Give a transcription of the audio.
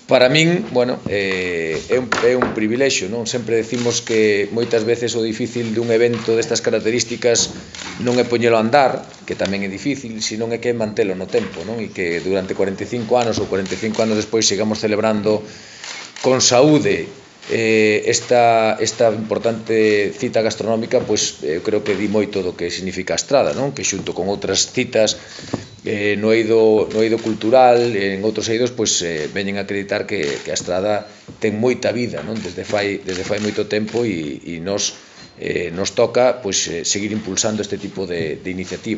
Para min, bueno, é un privilexio, non? Sempre decimos que moitas veces o difícil dun evento destas características non é poñelo a andar, que tamén é difícil, senón é que é mantelo no tempo, non? E que durante 45 anos ou 45 anos despois sigamos celebrando con saúde esta importante cita gastronómica, pois eu creo que di moito do que significa a Estrada, non? Que xunto con outras citas no eido cultural, en outros eidos, pois veñen a acreditar que a Estrada ten moita vida, non? Desde fai moito tempo e nos toca pois seguir impulsando este tipo de iniciativas.